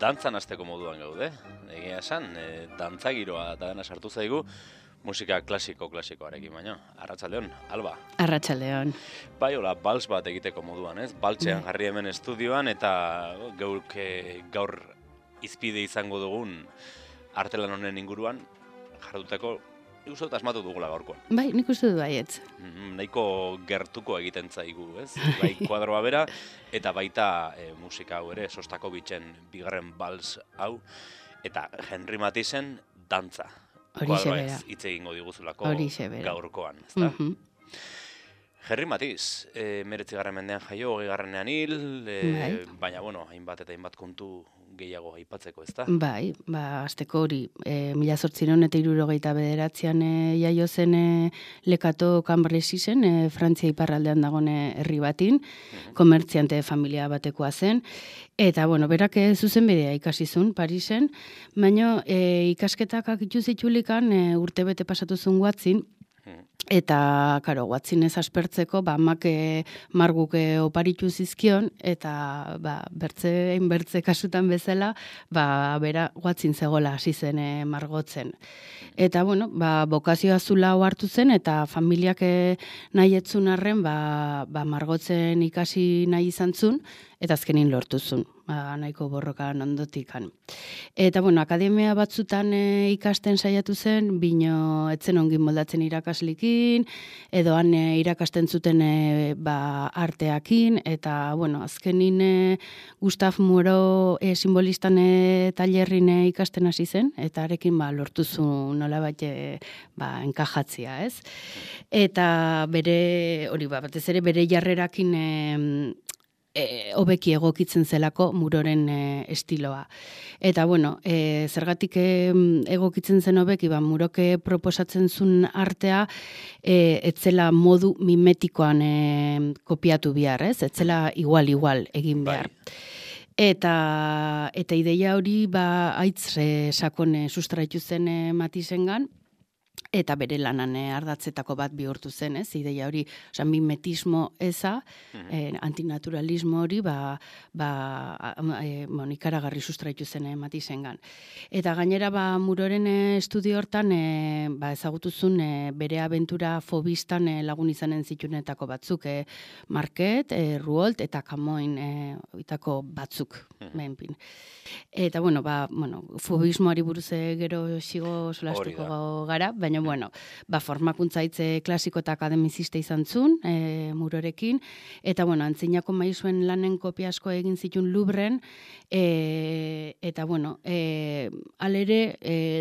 dantzan hasteko moduan gaude. Egia esan, dantza giroa eta dena sartu zaigu musika klasikoarekin baino. Arratsaldeon, Alba. Arratsaldeon. Bai, hola, bals bat egiteko moduan, ez? Baltzean jarri hemen estudioan eta gaur izpide izango dugun artelan honen inguruan jarduteko uste dut asmatu dugula gaurkoan. Bai, nik uste du baietz. Nahiko gertuko egiten zaigu, ez? Bai, kuadroa bera, eta baita musika hau ere, Sostakovitzen bigarren bals hau, eta Henry Mathisen dantza. Horixe bera. Kuadroa hitz egingo diguzulako gaurkoan, ezta? Henry Matisse, 19. mendean jaio, 20. hil, baina, hainbat eta hainbat kontu gehiago aipatzeko, ezta? Bai, azteko hori, 1869an jaio zen Lekato Cambresi zen, Frantzia iparraldean dagoen herri batin, komertziante familia batekoa zen, eta, berak zuzenbidea ikasi zuen Parisen, baina ikasketak akitu zitulikan urtebete pasatu zuen Guatzin, eta, karo, Guatzinez aspertzeko, amak marguk oparitu zizkion, eta, bertze kasutan bezala, bera Guatzin zegoela hasi zen margotzen. Eta, bokazioa zula hartu zen, eta familiak nahi etzun arren, margotzen ikasi nahi izan zun, eta azkenin lortu zun, nahiko borrokan ondotikan. Eta, akademia batzutan ikasten saiatu zen, bino etzen ongin moldatzen irakaslikin, edo han irakasten zuten arteakin, eta, azkenin Gustav Moreau simbolistan tailerrin ikasten hasi zen, eta arekin lortu zuen nolabait enkajatzia, ez? Eta bere, hori batez ere bere jarrerakin hobeki egokitzen zelako Muroren estiloa. Eta, zergatik egokitzen zen hobeki, Muroke proposatzen zuen artea, etzela modu mimetikoan kopiatu behar, ez? Etzela igual egin behar. Eta ideia hori aitz sakon sustraitu zen Matisengan, eta bere lanan ardatzetako bat bihurtu zen, ez? Ideia hori, mimetismo eza, antinaturalismo hori, ikaragarri sustraitu zen Matisengan. Eta gainera, Muroren estudio hortan, ezagutuzun bere abentura fobistan lagun izanen zitunetako batzuk, Marquet, Rouault eta Camoin itako batzuk, behinpin. Eta, fobismoari buruz gero xigo solastuko gara, baina, formakuntza hitze klasiko eta akademizista izan zuen, Murorekin, eta, antzinako maizuen lanen kopia asko egin zituen Louvren, eta, alere,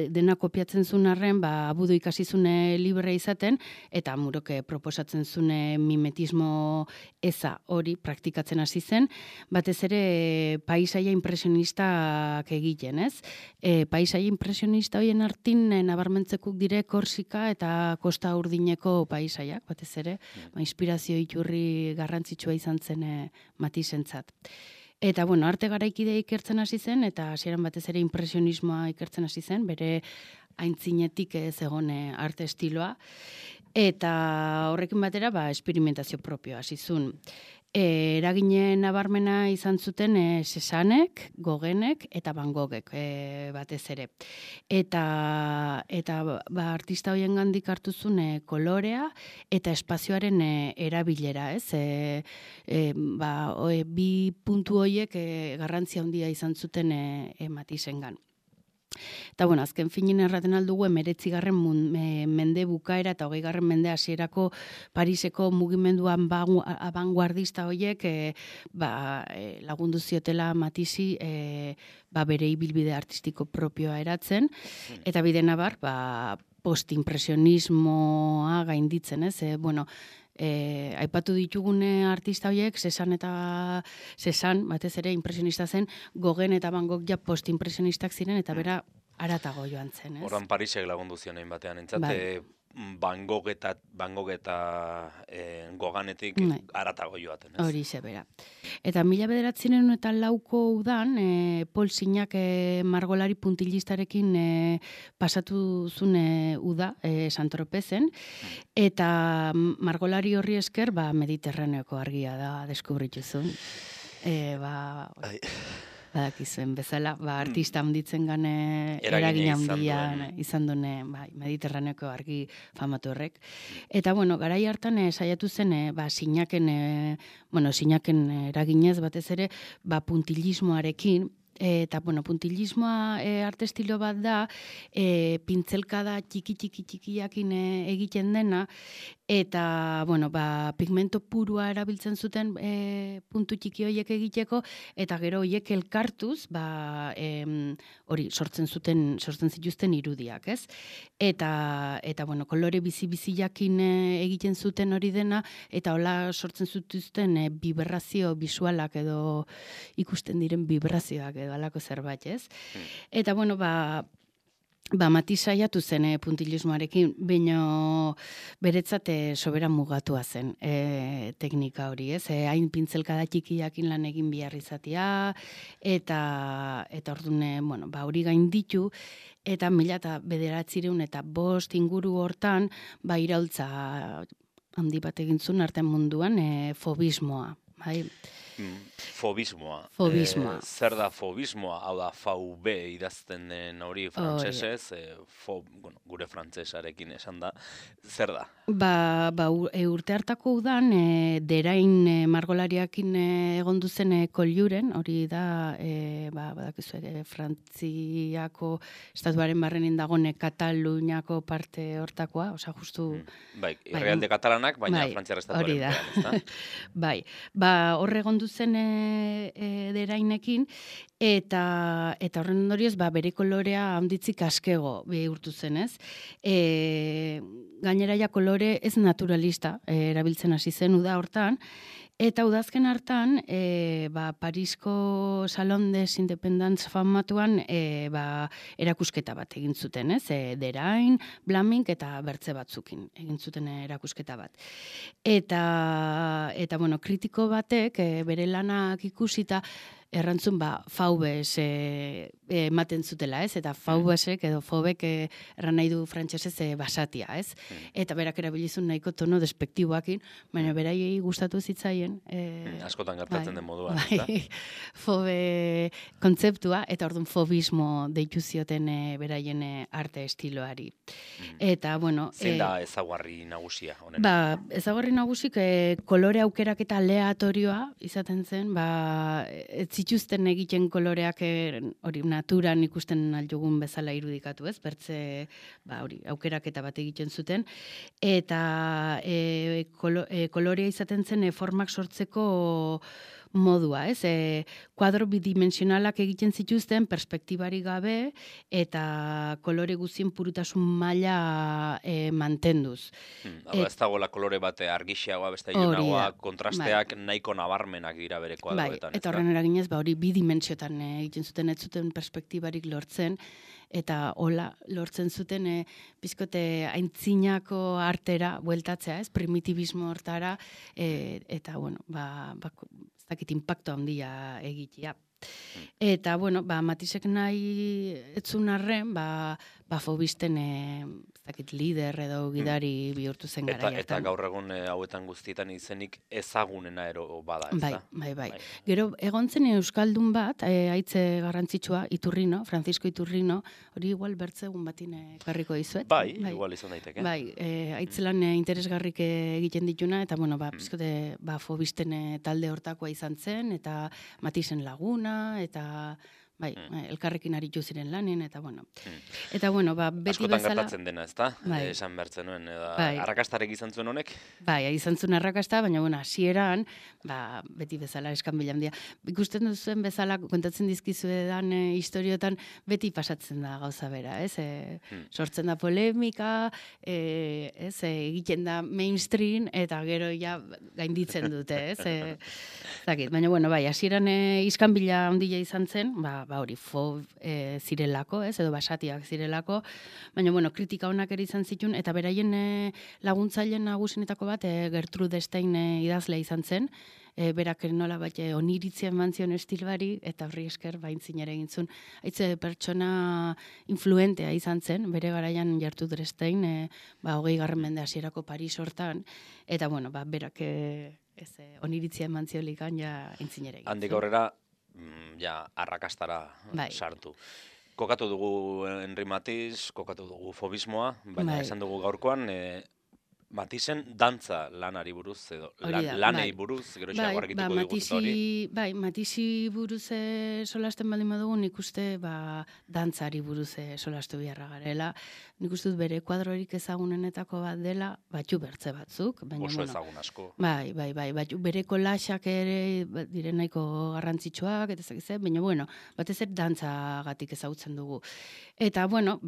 dena kopiatzen zuen arren, abudu ikasi zune libre izaten, eta Muroke proposatzen zune mimetismo eza hori praktikatzen hasi zen, batez ere paisaia impresionistak egiten, ez? Paisaia impresionista horien artin nabarmentzekuk dire Korsika eta Kosta Urdineko paisaiak, batez ere, inspirazio iturri garrantzitsua izan zen Matisentzat. Eta, arte garaikide ikertzen hasi zen, eta hasieran batez ere impresionismoa ikertzen hasi zen, bere aintzinetik zegoen arte estiloa, eta horrekin batera, esperimentazio propioa hasi zuen. Eragine nabarmena izan zuten Cézannek, Gauguinek eta Van Goghek batez ere. Eta artista horien gandik hartu zuen kolorea eta espazioaren erabilera, ez? Bi puntu horiek garrantzia handia izan zuten Matisengan. Eta, azken finin erraten aldugu, 19. mende bukaera eta 20. mende hasierako Pariseko mugimenduan abanguardista horiek lagundu ziotela Matisi bere ibilbide artistiko propioa eratzen, eta bide nabar, postimpresionismoa gainditzen, ez? Aipatu ditugune artista horiek, Cézanne, batez ere impresionista zen, Gauguin eta Van Gogh postimpresionistak ziren, eta bera aratago joan zen, ez? Horran Parisek lagundu zionein batean entzat, Van Gogh eta Gauguinetik aratago joaten, ez? Hori bera. Eta 1904ko udan, Paul Signac margolari puntilistarekin pasatu zune uda Saint-Tropezen, eta margolari horri esker Mediterraneoko argia da deskubritu zuen. badakizuen bezala, artista handitzen gane eragin handia izan duen Mediterraneoko argi famatu horrek. Eta, garai hartan saiatu zen, sinaken eraginez batez ere, puntilismoarekin, eta, puntilismoa arte estilo bat da, pintzelkada txiki-txikiakin egiten dena, eta, pigmento purua erabiltzen zuten puntu txiki horiek egiteko, eta gero horiek elkartuz, hori, sortzen zituzten irudiak, ez? Eta, kolore bizi-biziakin egiten zuten hori dena, eta hola sortzen zituzten vibrazio bisualak edo ikusten diren vibrazioak edo alako zerbait, ez? Eta, Matiz saiatu zen puntilismoarekin, baina beretzat soberan mugatua zen teknika hori, ez? Hain pintzelkada txikiakin lan egin behar izatea, eta orduan, hori gain ditu, eta 1905 inguru hortan, iraultza handi bat egin zuen artean munduan, fobismoa, bai? Fobismoa. Zer da fobismoa? Hau da, VB idazten den hori frantsesez, gure frantsesarekin esan da. Zer da? Urte hartako udan, derain margolariakin egon duzen koljuren, hori da, badakizu, Frantziako estatuaren barrenin dagone Kataluniako parte hortakoa, oza, justu... Irrealde katalanak, baina Frantziar estatuaren barrenin, bai, horre egon duzen derainekin, eta horren ondorioz, bere kolorea handitzik askego bihurtu zen, ez? Gainera ja kolore ez naturalista erabiltzen hasi zen uda hortan, eta udazken hartan, Parisko Salon des Independents famatuan erakusketa bat egin zuten, ez? Derain, Blaming eta bertze batzukin egin zuten erakusketa bat. Eta kritiko batek bere lanak ikusita errantzun VBS ematen zutela, ez? Eta VBSek edo fobek erran nahi du frantsesez basatia, ez? Eta berak erabilizun nahiko tono despektiboakin, baina beraiei gustatu zitzaien. Askotan gertatzen den moduan, eta? Fobe kontzeptua, eta orduan fobismo deitu zioten beraien arte estiloari. Eta, zein da ezaugarri nagusia honena? Ezaugarri nagusik kolore aukerak eta aleatorioa izaten zen, ez zituzten egiten koloreak hori naturan ikusten aldugun bezala irudikatu, ez? Bertze, aukeraketa bat egiten zuten, eta kolorea izaten zen formak sortzeko modua, ez? Kuadro bidimensionalak egiten zituzten perspektibari gabe eta kolore guztien purutasun maila mantenduz. Ez dagoela kolore bat argixeagoa, beste ilunagoa, kontrasteak nahiko nabarmenak dira bere kuadroetan. Eta horren eraginez, hori bidimentsiotan egiten zuten, ez zuten perspektibarik lortzen, eta hola lortzen zuten pizkote aintzinako artera bueltatzea, ez? Primitibismo hortara, eta, ez dakit impacto handia egitea. Eta, Matizek nahi etzun arren, fobisten lider edo gidari bihurtu zen gara. Eta gaur egun hauetan guztietan izenik ezagunena ero bada, ez da? Bai. Gero, egon zen euskaldun bat, haitze garrantzitsua, Iturrino, Francisco Iturrino, hori igual bertzegun batin karriko dizuet. Bai, igual izan daiteke. Bai, haitzelan interesgarrik egiten dituna, eta, pizkote, fobisten talde hortakoa izan zen, eta Matizen laguna, eta... elkarrekin aritu ziren lanen, eta Eta, beti askotan bezala... gertatzen dena, ez da? Esan bertzen nuen, arrakastarek izan zuen honek? Izan zuen arrakasta, baina, hasieran, beti bezala eskan handia. Ikusten duzuen bezala, kontatzen dizkizuedan historiotan, beti pasatzen da gauza bera, ez? Sortzen da polemika, egiten da mainstream, eta gero ja gainditzen dute, ez? Baina, hasieran iskan handia izan zen, hori, zirelako, ez, edo basatiak zirelako, baina, kritika honak ere izan zituen, eta beraien laguntzaileen nagusinetako bat, Gertrude Stein idazlea izan zen, berak nola bat oniritzia eman zion estilbari, eta horri esker baintzin ere egin zuen. Haitze pertsona influentea izan zen, bere garaian Gertrude Stein, 20. mende hasierako Paris hortan, eta, berak oniritzia eman ziolikan, ja, aintzin ere egin zuen. Handik aurrera, ja arrakastara Bai. sartu. Kokatu dugu Henri Matisse, kokatu dugu fobismoa, baina Bai. esan dugu gaurkoan Matissen dantza lanari buruz edo Hori da, lanei bai. buruz, gero Bai, argituko diguz eta hori. Matisi buruz solasten baldin badugu, nik uste dantzari buruz solastu beharra garela. Nik uste dut bere kuadrorik ezagunenetako bat dela, batxu bertze batzuk. Baina, Oso ezagun asko. Bai, batxu bere kolaxak ere diren nahiko garrantzitsuak, eta zakiz, baina, bueno, batez ere dantzagatik ezagutzen dugu. Eta, bueno,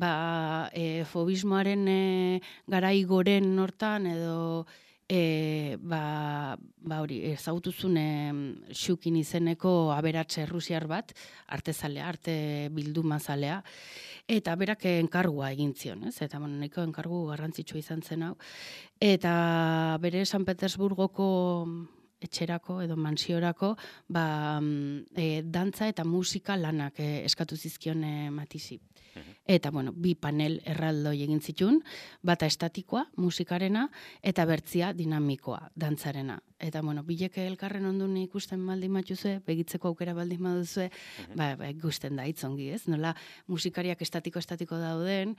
fobismoaren garai goren hortan edo hori, ezagutuzun Xukin izeneko aberatxe rusiar bat, artezalea, arte bildumazalea, eta berak enkargua egin zion, ez? Eta nahiko enkargu garrantzitsua izan zen hau. Eta bere San Petersburgoko etxerako edo mansiorako dantza eta musika lanak eskatu zizkion Matisi. Eta, bi panel erraldoi egin zitun, bata estatikoa, musikarena, eta bertzia dinamikoa, dantzarena. Eta, bileke elkarren ondun ikusten baldin matuzue, begitzeko aukera baldin baduzue, ikusten da, itzongi, ez? Nola musikariak estatiko dauden,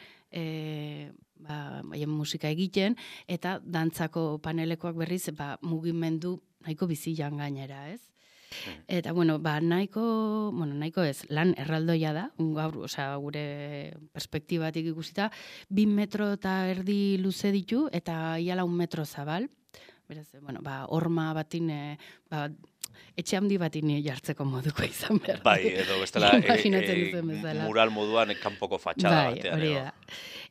musika egiten, eta dantzako panelekoak berriz, mugimendu nahiko bizilan gainera, ez? Eta, nahiko ez, lan erraldoia da, gaur, gure perspektibatik ikusita, 2 metro eta erdi luze ditu, eta iala 1 metro zabal. Beraz, horma batin, etxe handi batin jartzeko moduko izan behar. Bai, edo bestela, mural moduan kanpoko fatxada batean. Hori da.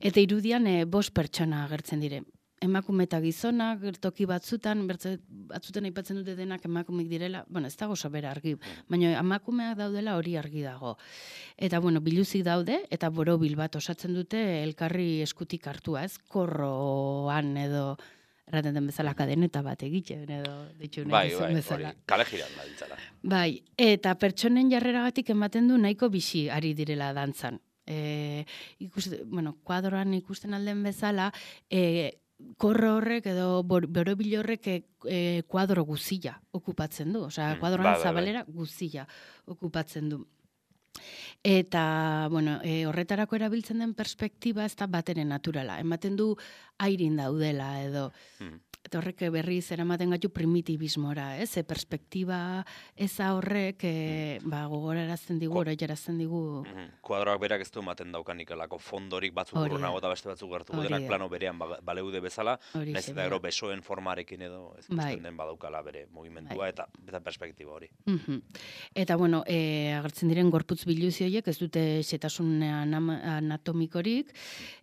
Eta irudian 5 pertsona agertzen dire. Emakume eta gizonak, toki batzutan aipatzen dute denak emakumeak direla, ez dago sobera argi, baina emakumeak daudela hori argi dago. Eta, biluzik daude, eta borobil bat osatzen dute elkarri eskutik hartua, ez? Korroan edo, erraten den bezala kadeneta bat egiten, edo ditu nahi izan bezala. Hori, kale jiran da ditzala. Bai, eta pertsonen jarreragatik ematen du nahiko bizi ari direla dantzan. Kuadroan ikusten alden bezala, korro horrek edo borobil horrek kuadro guzia okupatzen du. Osea, kuadroan zabalera guzia okupatzen du. Eta, horretarako erabiltzen den perspektiba ez da bateren naturala. Ematen du airin daudela edo. Eta horrek berriz eramaten gaitu primitibismora, ez? Perspektiba eza horrek gogorarazten digu, oroiarazten digu. Kuadroak berak ez du ematen daukanik elako fondorik batzuk urrunago eta beste batzuk gertu denak plano berean baleude bezala, nahiz eta gero besoen formarekin edo ez ikusten den badaukala bere mugimendua eta perspektiba hori. Eta, agertzen diren gorputz biluzi horiek ez dute xetasun anatomikorik,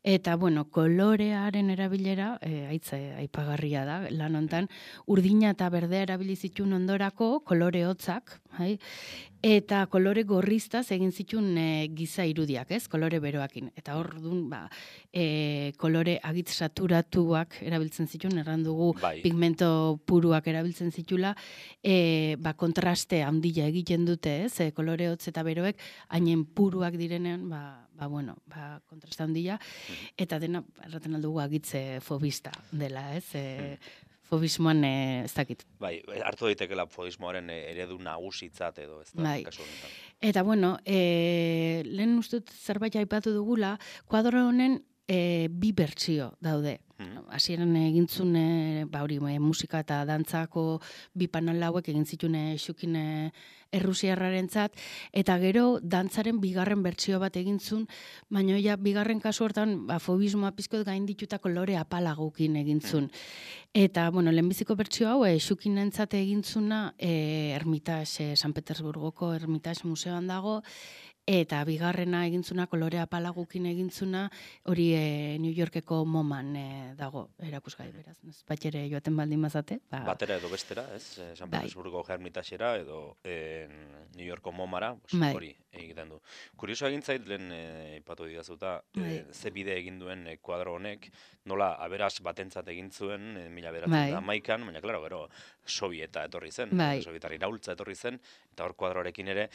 eta, kolorearen erabilera aipagarria da. Lan hontan, urdina eta berdea erabili zituen ondorako kolore hotzak, eta kolore gorriztaz egin zituen giza irudiak, ez? Kolore beroakin. Eta hor dun, kolore agitz saturatuak erabiltzen zituen, errandugu pigmento puruak erabiltzen zitula, kontraste handia egiten dute, ez? Kolore hotz eta beroek, hainen puruak direnean, kontraste handia, eta dena, erraten aldugu agitze fobista dela, ez? Fobismoan ez dakit. Bai, hartu daitekela fobismoaren eredu nagusitzat edo, ez da, kasu honetan. Eta, lehen ustut zerbait aipatu dugula, kuadro honen 2 bertsio daude. Hasieran egintzun musika eta dantzako 2 panel hauek egin zituen Xukin errusiarrarentzat, eta gero dantzaren 2. bertsio bat egintzun, baina ja 2. kasu hortan fobismoa pizkot gaindituta kolore apalagukin egintzun. Eta, lehenbiziko bertsio hau Xukinentzat egintzuna Hermitage, San Petersburgoko Hermitage museoan dago, eta 2. egintzuna kolore apalagukin egintzuna hori New Yorkeko MoMAn dago erakusgai, beraz. Bat ere joaten baldin mazate. Batera edo bestera, ez? San Petersburgo Hermitagera edo New Yorko MoMAra, hori egiten du. Kurioso egin zait, lehen ipatu didazuta, ze bide egin duen kuadro honek, nola aberas batentzat egin zuen 1911an, baina, klaro, gero, sovieta etorri zen, sovietar iraultza etorri zen, eta hor kuadroarekin ere,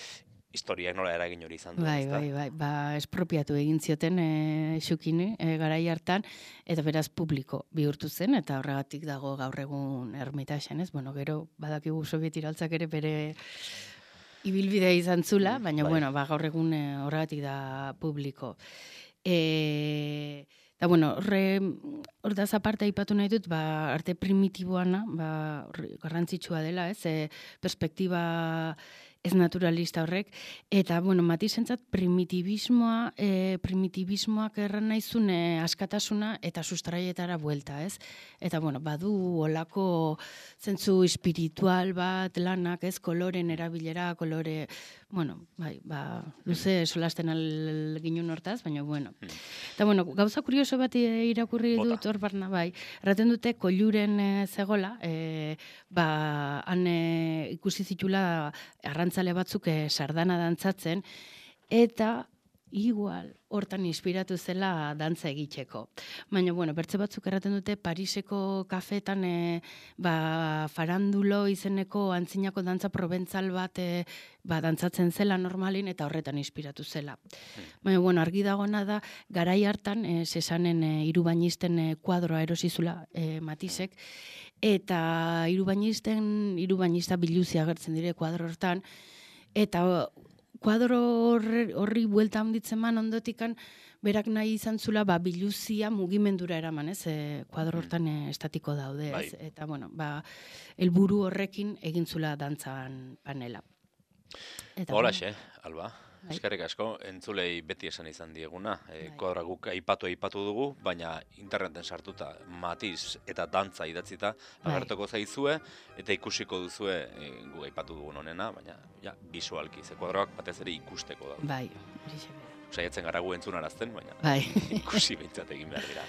historiak nola eragin hori izan duen, Bai, espropiatu egin zioten Xukin garai hartan, eta beraz publiko bihurtu zen, eta horregatik dago gaur egun Hermitagen, ez? Gero badakigu Soviet iraultzak ere bere ibilbidea izan zula, baina, bai. bueno, gaur egun horregatik da publiko. Eta, bueno, hortaz aparte aipatu nahi dut, arte primitiboana, garrantzitsua dela, ez, perspektiba ez naturalista horrek, eta, bueno, Matisentzat primitibismoak erran naizun askatasuna eta sustraietara buelta, ez? Eta, bueno, badu olako zentzu espiritual bat lanak, ez? Koloren erabilera, kolore, bueno, bai, luze solasten ginen hortaz, baina, bueno. Eta, bueno, gauza kurioso bat irakurri dut hor barna, bai. Erraten dute, koiluren zegola, han ikusi zitula arrantzale batzuk sardana dantzatzen, eta igual hortan inspiratu zela dantza egiteko. Baina, bueno, bertze batzuk erraten dute Pariseko kafetan farandulo izeneko antzinako dantza probentzal bat dantzatzen zela normalin eta horretan inspiratu zela. Baina, bueno, argi dagona da, garai hartan Cézannen hirubainisten kuadroa erosizula Matisek, eta hirubainista biluzi agertzen dire kuadro hortan, eta kuadro horri buelta handitzen man ondotikan, berak nahi izan zula biluzia mugimendura eraman, ez? Kuadro hortan estatiko daude, ez? Eta, bueno, helburu horrekin egin zula dantzan panela. Holaxe, Alba. Eskerrik asko, entzulei beti esan izan dieguna. Kuadroa guk aipatu dugu, baina interneten sartuta Matiz eta dantza idatzita agertuko zaizue, eta ikusiko duzue guk aipatu dugun honena, baina bisualki, ze kuadroak batez ere ikusteko da. Bai, saiatzen gara gu entzunarazten, baina ikusi behintzat egin behar dira.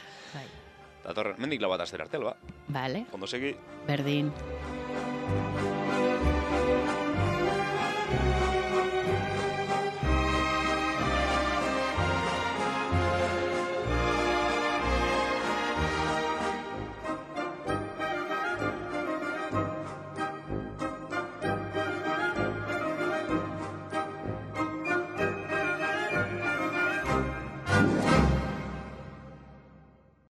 Datorren, mendik lau bat astera arte, Alba. Bale. Ondo segi. Berdin.